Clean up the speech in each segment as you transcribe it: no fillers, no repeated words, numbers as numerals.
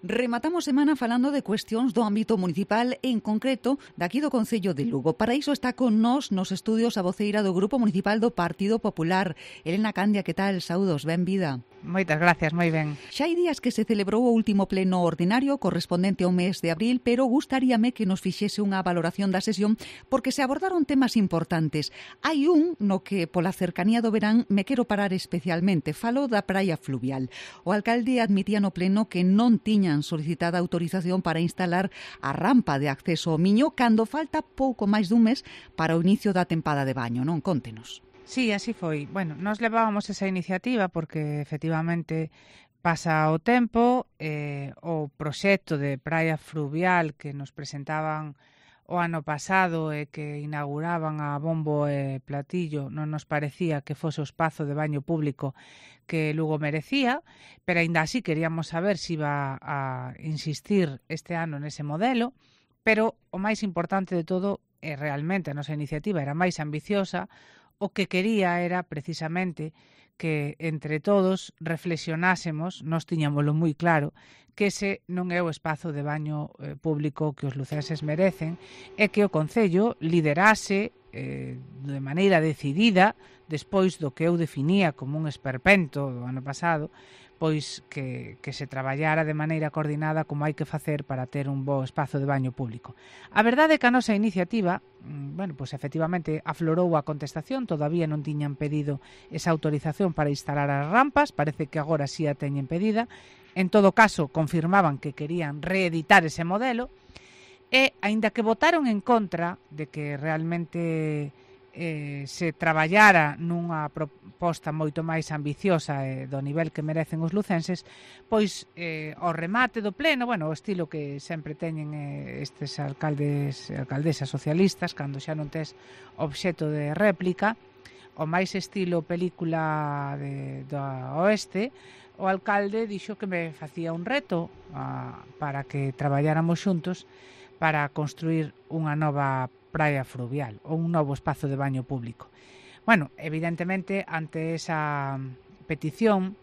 Rematamos semana falando de cuestións do ámbito municipal, en concreto daqui do Concello de Lugo. Para iso está con nós nos estudios a voceira do Grupo Municipal do Partido Popular, Elena Candia. Que tal? Saúdos, ben vida. Moitas gracias, moi ben. Xa hai días que se celebrou o último pleno ordinario correspondente ao mes de abril, pero gustaríame que nos fixese unha valoración da sesión porque se abordaron temas importantes. Hai un no que pola cercanía do verán me quero parar especialmente. Falo da praia fluvial. O alcalde admitía no pleno que non tiñan solicitada autorización para instalar a rampa de acceso ao Miño cando falta pouco máis dun mes para o inicio da tempada de baño, non? Contenos. Sí, así foi. Bueno, nos levábamos esa iniciativa porque efectivamente pasa o tempo, o proxecto de praia fluvial que nos presentaban o ano pasado e que inauguraban a bombo e platillo non nos parecía que fose o espazo de baño público que Lugo merecía, pero aínda así queríamos saber se iba a insistir este ano nese modelo, pero o máis importante de todo é realmente a nosa iniciativa era máis ambiciosa, o que quería era precisamente que entre todos reflexionásemos, nós tiñámoslo moi claro, que ese non é o espazo de baño público que os lucenses merecen e que o Concello liderase de maneira decidida, despois do que eu definía como un esperpento do ano pasado, pois que se traballara de maneira coordinada como hai que facer para ter un bo espazo de baño público. A verdade é que a nosa iniciativa, bueno, pois efectivamente aflorou a contestación, todavía non tiñan pedido esa autorización para instalar as rampas, parece que agora sí a teñen pedida. En todo caso, confirmaban que querían reeditar ese modelo e, aínda que votaron en contra de que realmente se traballara nunha proposta moito máis ambiciosa do nivel que merecen os lucenses, pois ao remate do pleno, bueno, o estilo que sempre teñen estes alcaldes e alcaldesas socialistas, cando xa non tes obxecto de réplica, o máis estilo película do oeste, o alcalde dixo que me facía un reto para que traballáramos xuntos para construir unha nova praia fluvial ou un novo espazo de baño público. Bueno, evidentemente, ante esa petición,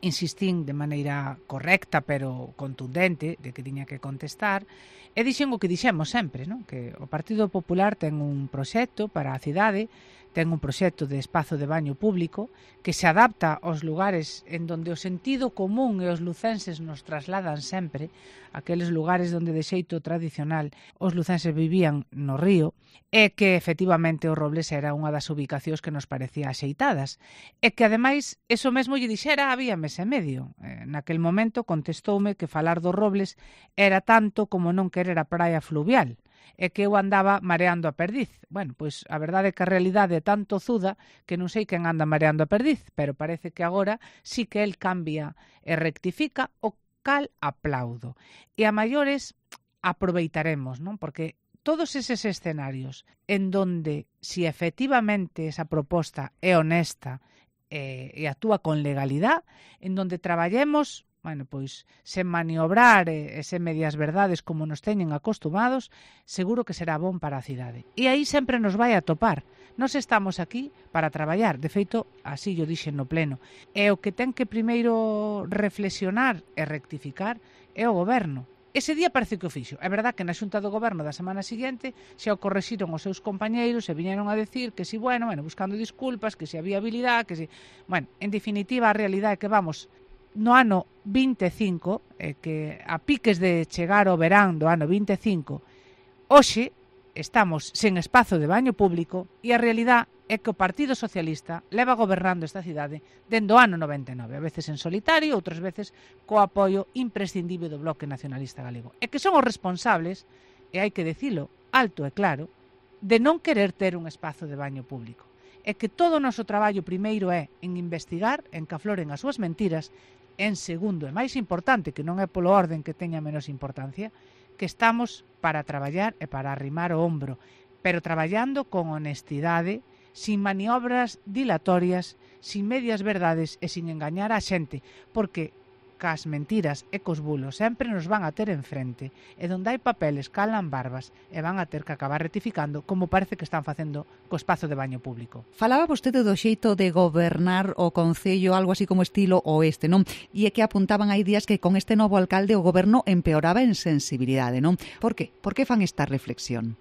insistín de maneira correcta pero contundente de que tiña que contestar e dixen o que dixemos sempre, non? Que o Partido Popular ten un proxecto para a cidade, ten un proxecto de espazo de baño público que se adapta aos lugares en donde o sentido común e os lucenses nos trasladan sempre, aqueles lugares onde de xeito tradicional os lucenses vivían no río, e que efectivamente o Robles era unha das ubicacións que nos parecía axeitadas, e que ademais eso mesmo lle dixera había mes e medio. Naquel momento contestoume que falar do Robles era tanto como non querer a praia fluvial, e que eu andaba mareando a perdiz. Bueno, pois a verdade é que a realidade é tan tozuda que non sei quen anda mareando a perdiz, pero parece que agora sí que el cambia e rectifica, o cal aplaudo. E a maiores aproveitaremos, non? Porque todos eses escenarios en donde si efectivamente esa proposta é honesta e actúa con legalidade, en donde traballemos, bueno, pois, sen maniobrar e sen medias verdades como nos teñen acostumados, seguro que será bon para a cidade. E aí sempre nos vai a topar. Nós estamos aquí para traballar. De feito, así yo dixen no pleno. E o que ten que primeiro reflexionar e rectificar é o goberno. Ese día parece que o fixo. É verdad que na xunta do goberno da semana seguinte xa o correxiron os seus compañeiros e viñeron a decir que si, bueno, buscando disculpas, que si había habilidade, que si... Bueno, en definitiva, a realidade é que vamos no ano 25, que a piques de chegar ao verán do ano 25, hoxe estamos sen espazo de baño público e a realidade é que o Partido Socialista leva gobernando esta cidade dende o ano 99, a veces en solitario, outras veces co apoio imprescindible do Bloque Nacionalista Galego. E que son os responsables, e hai que dicilo alto e claro, de non querer ter un espazo de baño público. É que todo o noso traballo primeiro é en investigar, en que afloren as súas mentiras, en segundo, e máis importante, que non é polo orden que teña menos importancia, que estamos para traballar e para arrimar o ombro, pero traballando con honestidade, sin maniobras dilatorias, sin medias verdades e sin engañar a xente, porque cas mentiras e cos bulos sempre nos van a ter enfrente, e donde hai papeles calan barbas e van a ter que acabar rectificando, como parece que están facendo co espazo de baño público. Falaba vostede do xeito de gobernar o Concello, algo así como estilo oeste, non? E é que apuntaban hai días que con este novo alcalde o goberno empeoraba en sensibilidade, non? Por qué? Por que fan esta reflexión?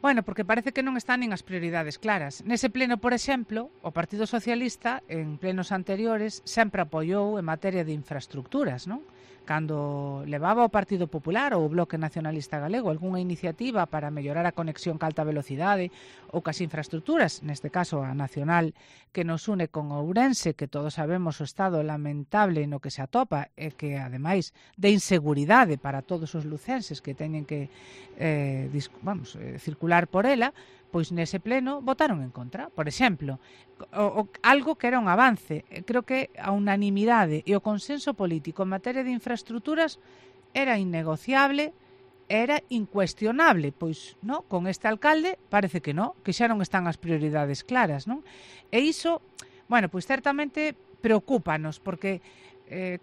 Bueno, porque parece que non están nin as prioridades claras. Nese pleno, por exemplo, o Partido Socialista, en plenos anteriores, sempre apoiou en materia de infraestructuras, non? Cando levaba o Partido Popular ou o Bloque Nacionalista Galego algunha iniciativa para mellorar a conexión ca alta velocidade ou cas infraestructuras, neste caso a nacional que nos une con Ourense, que todos sabemos o estado lamentable no que se atopa e que, ademais, de inseguridade para todos os lucenses que teñen que circular por ela, pois nese pleno votaron en contra. Por exemplo, algo que era un avance. Creo que a unanimidade e o consenso político en materia de infraestructuras era innegociable, era incuestionable. Pois, no, con este alcalde parece que non, que xa non están as prioridades claras, non? E iso, bueno, pois certamente preocúpanos, porque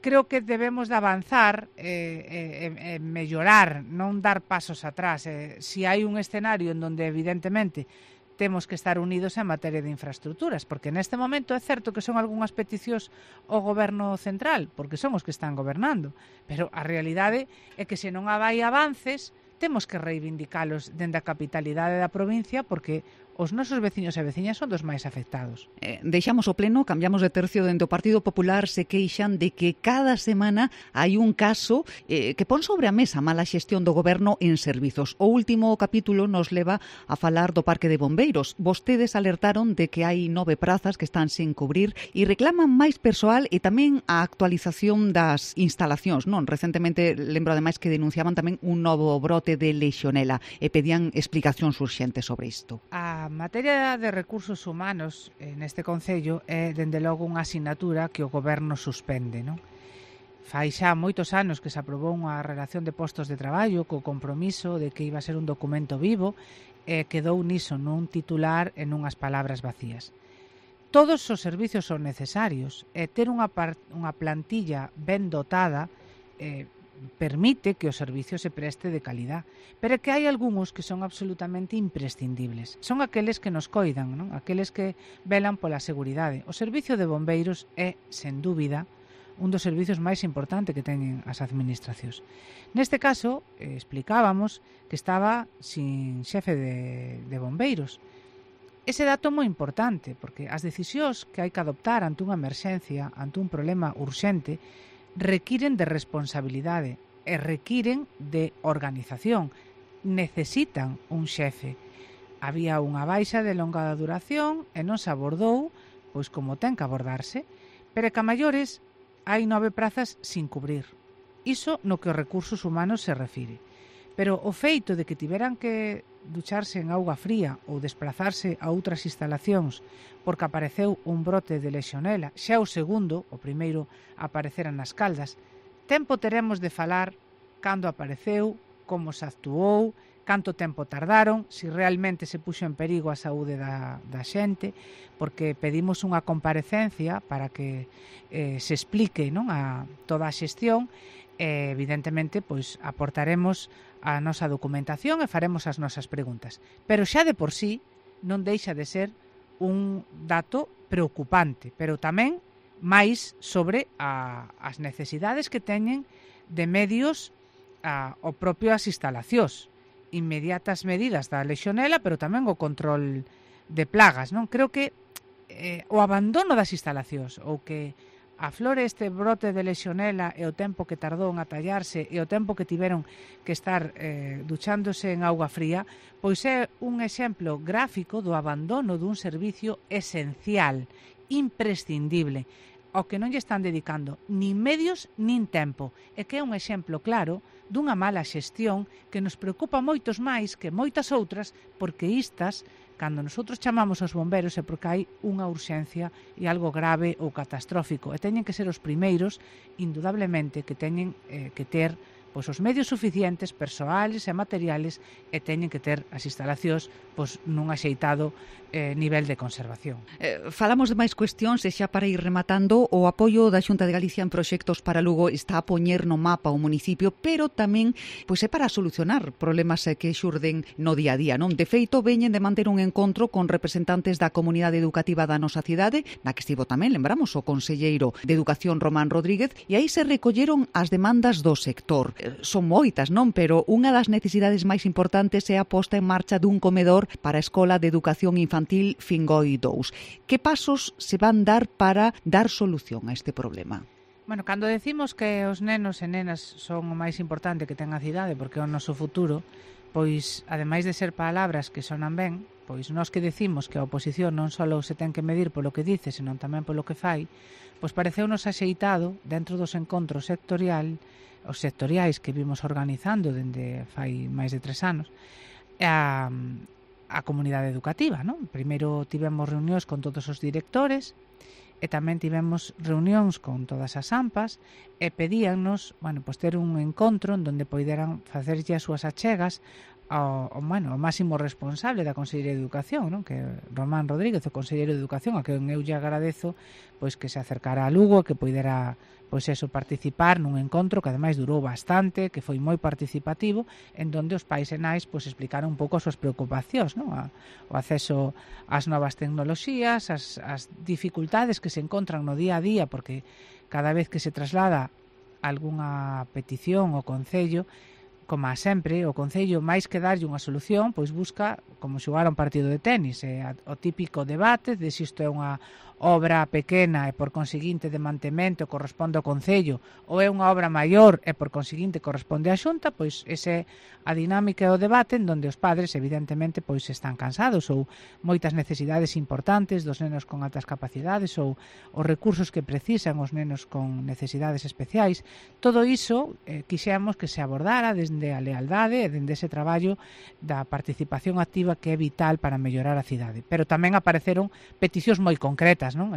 creo que debemos de avanzar e mellorar, non dar pasos atrás. Si hai un escenario en donde evidentemente temos que estar unidos en materia de infraestructuras, porque neste momento é certo que son algunhas peticións ao goberno central, porque son os que están gobernando, pero a realidade é que se non hai avances, temos que reivindicalos dende a capitalidade da provincia, porque os nosos veciños e veciñas son dos máis afectados. Deixamos o pleno, cambiamos de tercio. Dentro do Partido Popular se queixan de que cada semana hai un caso que pon sobre a mesa mala xestión do goberno en servizos. O último capítulo nos leva a falar do Parque de Bombeiros. Vostedes alertaron de que hai 9 prazas que están sen cubrir e reclaman máis persoal e tamén a actualización das instalacións, non? Recentemente, lembro ademais que denunciaban tamén un novo brote de lexionela e pedían explicacións urxentes sobre isto. A materia de recursos humanos neste Concello é, dende logo, unha asignatura que o goberno suspende, non? Fai xa moitos anos que se aprobou unha relación de postos de traballo co compromiso de que iba a ser un documento vivo e quedou niso, nun titular e nunhas palabras vacías. Todos os servizos son necesarios e ter unha plantilla ben dotada permite que o servicio se preste de calidad, pero é que hai algúns que son absolutamente imprescindibles. Son aqueles que nos coidan, non? Aqueles que velan pola seguridade. O servicio de bombeiros é, sen dúbida, un dos servizos máis importantes que teñen as administracións. Neste caso, explicábamos que estaba sin xefe de bombeiros. Ese dato é moi importante, porque as decisións que hai que adoptar ante unha emerxencia, ante un problema urxente, requiren de responsabilidade e requiren de organización. Necesitan un xefe. Había unha baixa de longa duración e non se abordou, pois como ten que abordarse, pero que a maiores hai 9 prazas sin cubrir. Iso no que os recursos humanos se refire. Pero o feito de que tiveran que ducharse en auga fría ou desplazarse a outras instalacións porque apareceu un brote de lexionela, xa o segundo, o primeiro aparecera nas Caldas, tempo teremos de falar cando apareceu, como se actuou, canto tempo tardaron, se realmente se puxo en perigo a saúde da xente, porque pedimos unha comparecencia para que se explique, non, a toda a xestión, e evidentemente pois aportaremos a nosa documentación e faremos as nosas preguntas. Pero xa de por sí non deixa de ser un dato preocupante, pero tamén máis sobre as necesidades que teñen de medios o propio as instalacións, inmediatas medidas da lexionela, pero tamén o control de plagas, non? Creo que o abandono das instalacións ou que aflore este brote de lexionela e o tempo que tardou en atallarse e o tempo que tiveron que estar duchándose en auga fría, pois é un exemplo gráfico do abandono dun servicio esencial, imprescindible, ao que non lle están dedicando nin medios nin tempo, e que é un exemplo claro dunha mala xestión que nos preocupa moitos máis que moitas outras, porque istas, cando nosotros chamamos aos bomberos é porque hai unha urxencia e algo grave ou catastrófico, e teñen que ser os primeiros, indudablemente, que teñen que ter pois os medios suficientes, persoales e materiales, e teñen que ter as instalacións pois nun axeitado nivel de conservación. Falamos de máis cuestións e xa para ir rematando, o apoio da Xunta de Galicia en proxectos para Lugo está a poñer no mapa o municipio, pero tamén pois é para solucionar problemas que xurden no día a día, non? De feito, veñen de manter un encontro con representantes da comunidade educativa da nosa cidade, na que estivo tamén, lembramos, o conselleiro de Educación Román Rodríguez, e aí se recolleron as demandas do sector. Son moitas, non? Pero unha das necesidades máis importantes é a posta en marcha dun comedor para a Escola de Educación Infantil Fingoi 2. Que pasos se van dar para dar solución a este problema? Bueno, cando decimos que os nenos e nenas son o máis importante que ten a cidade porque é o noso futuro, pois, ademais de ser palabras que sonan ben, pois nós que decimos que a oposición non só se ten que medir polo que dice, senón tamén polo que fai, pois pareceunos axeitado dentro dos encontros os sectoriais que vimos organizando dende fai máis de 3 anos, a comunidade educativa, non? Primeiro tivemos reunións con todos os directores e tamén tivemos reunións con todas as AMPAs e pedíannos, bueno, pues ter un encontro en donde poideran facerlle as súas achegas ao máximo responsable da Consellería de Educación, non? Que é Román Rodríguez, o Conselleiro de Educación, a que eu lle agradezo pois que se acercara a Lugo, que poidera participar nun encontro que ademais durou bastante, que foi moi participativo, en donde os pais e nais explicaron un pouco as súas preocupacións, non? O acceso ás novas tecnoloxías, as dificultades que se encontran no día a día, porque cada vez que se traslada algunha petición ao Concello, como a sempre, o Concello, máis que darlle unha solución, pois busca como xogar un partido de tenis, o típico debate de se isto é unha obra pequena e por conseguinte de mantemento corresponde ao Concello ou é unha obra maior e por conseguinte corresponde á Xunta, pois ese a dinámica e o debate en donde os padres evidentemente pois están cansados ou moitas necesidades importantes dos nenos con altas capacidades ou os recursos que precisan os nenos con necesidades especiais. Todo iso quixemos que se abordara desde a lealdade e dende ese traballo da participación activa que é vital para mellorar a cidade. Pero tamén apareceron peticións moi concretas, non?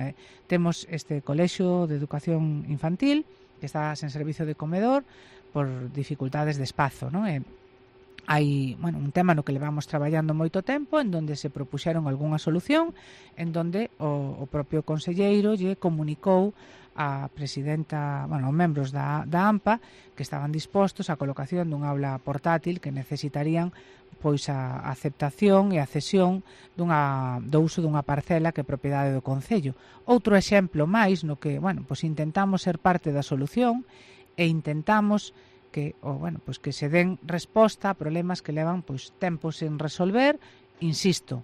Temos este colexio de educación infantil que está sen servizo de comedor por dificultades de espazo, non? Hai, un tema no que levamos traballando moito tempo, en donde se propuxeron algunha solución, en donde o propio conselleiro lle comunicou a presidenta, os membros da AMPA que estaban dispostos á colocación dun aula portátil que necesitarían pois a aceptación e a cesión do uso dunha parcela que é propiedade do Concello. Outro exemplo máis no que, intentamos ser parte da solución e intentamos que se den resposta a problemas que levan tempos sen resolver, insisto,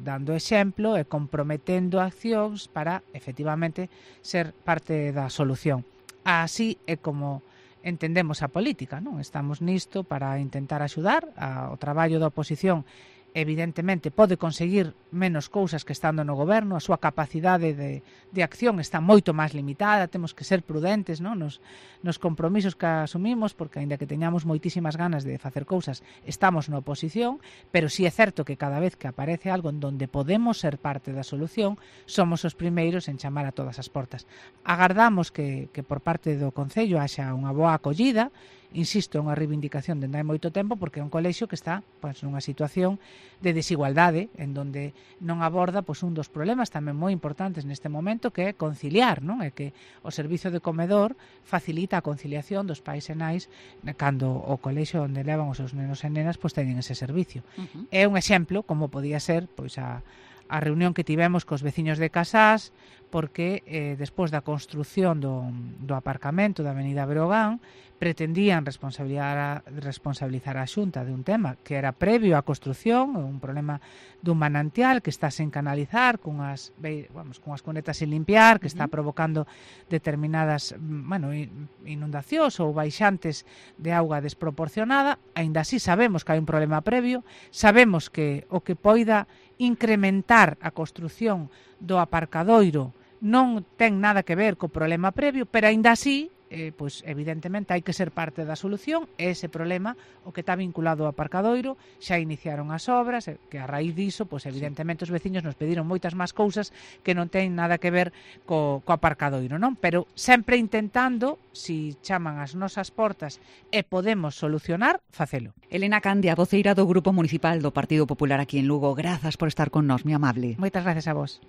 dando exemplo e comprometendo accións para efectivamente ser parte da solución. Así é como entendemos a política, non? Estamos nisto para intentar axudar o traballo da oposición. Evidentemente pode conseguir menos cousas que estando no goberno, a súa capacidade de acción está moito máis limitada, temos que ser prudentes, non? Nos compromisos que asumimos, porque aínda que teñamos moitísimas ganas de facer cousas, estamos na oposición, pero sí é certo que cada vez que aparece algo en donde podemos ser parte da solución, somos os primeiros en chamar a todas as portas. Agardamos que por parte do Concello haxa unha boa acollida. Insisto, é unha reivindicación dende hai moito tempo porque é un colexio que está nunha situación de desigualdade en donde non aborda un dos problemas tamén moi importantes neste momento, que é conciliar, non? É que o servizo de comedor facilita a conciliación dos pais e nais cando o colexio onde levan os seus nenos e nenas teñen ese servicio. É un exemplo como podía ser a reunión que tivemos cos veciños de Casás, porque despois da construción do aparcamento da Avenida Breogán pretendían responsabilizar a Xunta de un tema que era previo á construción, un problema dun manantial que está sen canalizar, cunhas cunetas sin limpiar, que está provocando determinadas inundacións ou baixantes de auga desproporcionada. Aínda así sabemos que hai un problema previo, sabemos que o que poida incrementar a construción do aparcadoiro non ten nada que ver co problema previo, pero aínda así pois evidentemente hai que ser parte da solución, e ese problema o que está vinculado ao aparcadoiro, xa iniciaron as obras, que a raíz diso, pois evidentemente os veciños nos pediron moitas máis cousas que non teñen nada que ver co aparcadoiro, non? Pero sempre intentando, si chaman as nosas portas e podemos solucionar, facelo. Elena Candia, voceira do Grupo Municipal do Partido Popular aquí en Lugo, grazas por estar con nós, moi amable. Moitas gracias a vos.